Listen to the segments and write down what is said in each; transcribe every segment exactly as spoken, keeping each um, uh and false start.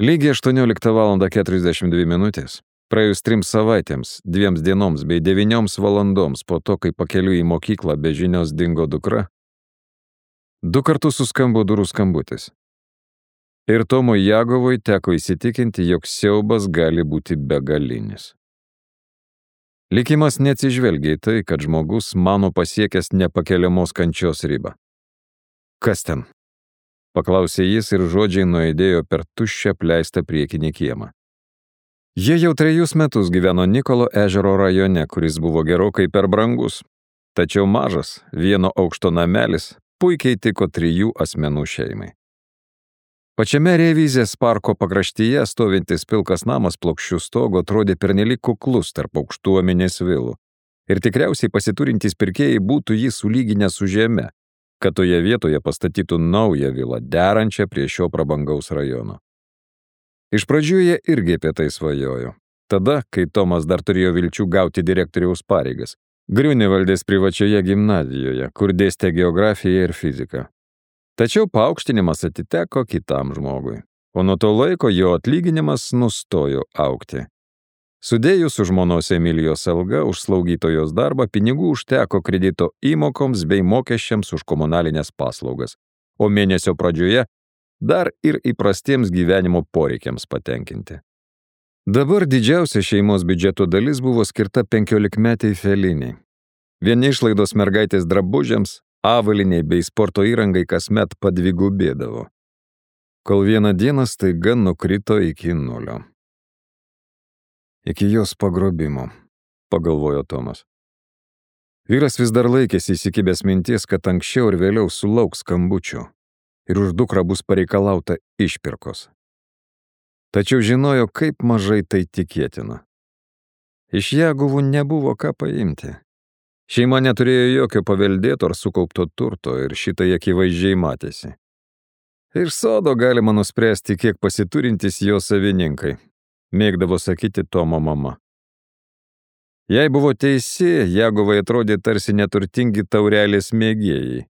Lygiai aštuonioliktą valandą keturiasdešimt dvi minutės, praėjus trims savaitėms, dviems dienoms bei devynioms valandoms po to, kai pakeliui į mokyklą be žinios dingo dukra, du kartus suskambo durų skambutis. Ir Tomui Jagovui teko įsitikinti, jog siaubas gali būti begalinis. Likimas neatsižvelgia į tai, kad žmogus mano pasiekęs nepakeliamos kančios ribą. Kas ten? Paklausė jis ir žodžiai nuaidėjo per tuščią apleistą priekinį kiemą. Jie jau trejus metus gyveno Nikolo ežero rajone, kuris buvo gerokai per brangus, tačiau mažas, vieno aukšto namelis puikiai tiko trijų asmenų šeimai. Pačiame Revizės parko pakraštyje stovintis pilkas namas plokščių stogo atrodė pernelyg kuklus tarp aukštuomenės vilų ir tikriausiai pasiturintys pirkėjai būtų jį sulyginę su žeme, kad toje vietoje pastatytų naują vilą, derančią prie šio prabangaus rajono. Iš pradžių jie irgi apie tai svajojo. Tada, kai Tomas dar turėjo vilčių gauti direktoriaus pareigas, Griunevaldės privačioje gimnazijoje, kur dėstė geografiją ir fiziką. Tačiau paaukštinimas atiteko kitam žmogui, o nuo to laiko jo atlyginimas nustojo augti. Sudėjus už žmonos Emilijos algą už slaugytojos darbą, pinigų užteko kredito įmokoms bei mokesčiams už komunalinės paslaugas, o mėnesio pradžioje dar ir įprastiems gyvenimo poreikiams patenkinti. Dabar didžiausia šeimos biudžeto dalis buvo skirta penkiolikmetei Felinei. Vieni išlaidos mergaitės drabužiams, avaliniai bei sporto įrangai kasmet padvigubėdavo, kol vieną dieną staiga nukrito iki nulio. Iki jos pagrobimo, pagalvojo Tomas. Vyras vis dar laikėsi įsikibęs minties, kad anksčiau ir vėliau sulauks skambučių ir už dukrą bus pareikalauta išpirkos. Tačiau žinojo, kaip mažai tai tikėtina. Iš Jagovų nebuvo ką paimti. Šeima neturėjo jokio paveldėto ar sukaupto turto ir šitai akivaizdžiai matėsi. Iš sodo galima nuspręsti, kiek pasiturintys jo savininkai, mėgdavo sakyti Tomo mama. Jei buvo teisi, Jagovai atrodė tarsi neturtingi taurelės mėgėjai.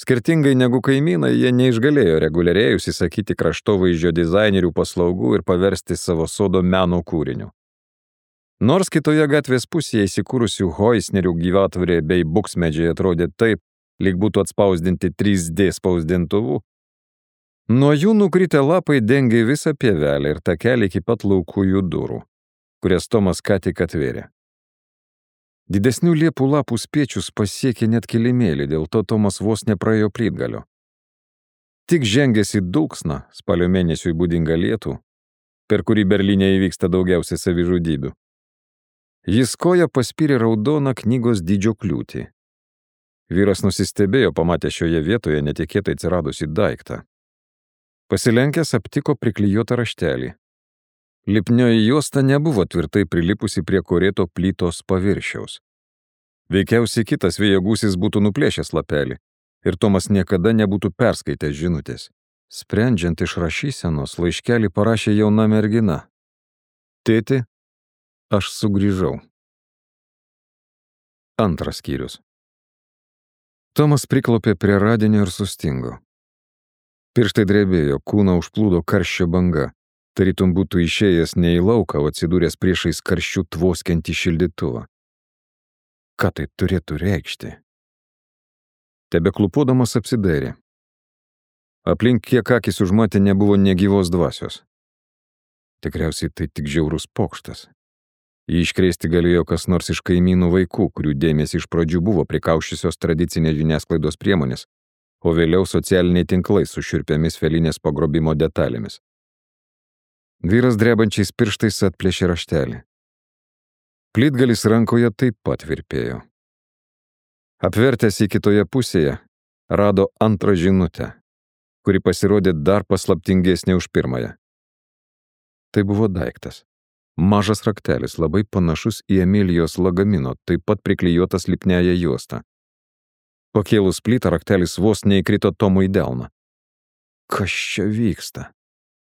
Skirtingai negu kaimynai, jie neišgalėjo reguliariai užsisakyti kraštovaizdžio dizainerių paslaugų ir paversti savo sodo meno kūriniu. Nors kitoje gatvės pusėje įsikūrusių Hoisnerių gyvatvorė bei buksmedžiai atrodė taip, lyg būtų atspausdinti trys D spausdintuvu, nuo jų nukritę lapai dengė visą pievelę ir takelį iki pat laukujų durų, kurias Tomas ką tik atvėrė. Didesnių liepų lapų spiečius pasiekė net kilimėlį, dėl to Tomas vos nepraėjo plytgalio. Tik žengęs į dulksną, spalio mėnesiui būdingą lietų, per kurį Berlyne įvyksta daugiausiai savižudybių, jis koja paspyrė raudoną knygos dydžio kliūtį. Vyras nusistebėjo, pamatė šioje vietoje netikėtai atsiradusį daiktą. Pasilenkęs aptiko priklijuotą raštelį. Lipnioji juosta nebuvo tvirtai prilipusi prie korėto plytos paviršiaus. Veikiausiai kitas vėjo gūsis būtų nuplėšęs lapelį ir Tomas niekada nebūtų perskaitęs žinutės. Sprendžiant iš rašysenos, laiškelį parašė jauna mergina. Tėti, aš sugrįžau. Antras skyrius. Tomas priklaupė prie radinio ir sustingo. Pirštai drebėjo, kūną užplūdo karščio banga. Tarytum būtų išėjęs ne į lauką, o atsidūręs priešais karščių tvoskiantį šildytuvą. Ką tai turėtų reikšti? Tebeklupodamas apsidairė. Aplink kiek akis užmatė nebuvo negyvos dvasios. Tikriausiai tai tik žiaurus pokštas. Jį iškrėsti galėjo kas nors iš kaimynų vaikų, kurių dėmesį iš pradžių buvo prikaušusios tradicinės žiniasklaidos priemonės, o vėliau socialiniai tinklai su šiurpiamis Felinės pagrobimo detalėmis. Vyras drebančiais pirštais atplėšė raštelį. Plytgalis rankoje taip pat virpėjo. Apvertęs į kitoje pusėje, rado antrą žinutę, kuri pasirodė dar paslaptingesnė už pirmąją. Tai buvo daiktas. Mažas raktelis, labai panašus į Emilijos lagamino, taip pat priklijuotas lipniąją juostą. Pakėlus plytą, raktelis vos neįkrito Tomui į delną. Kas čia vyksta?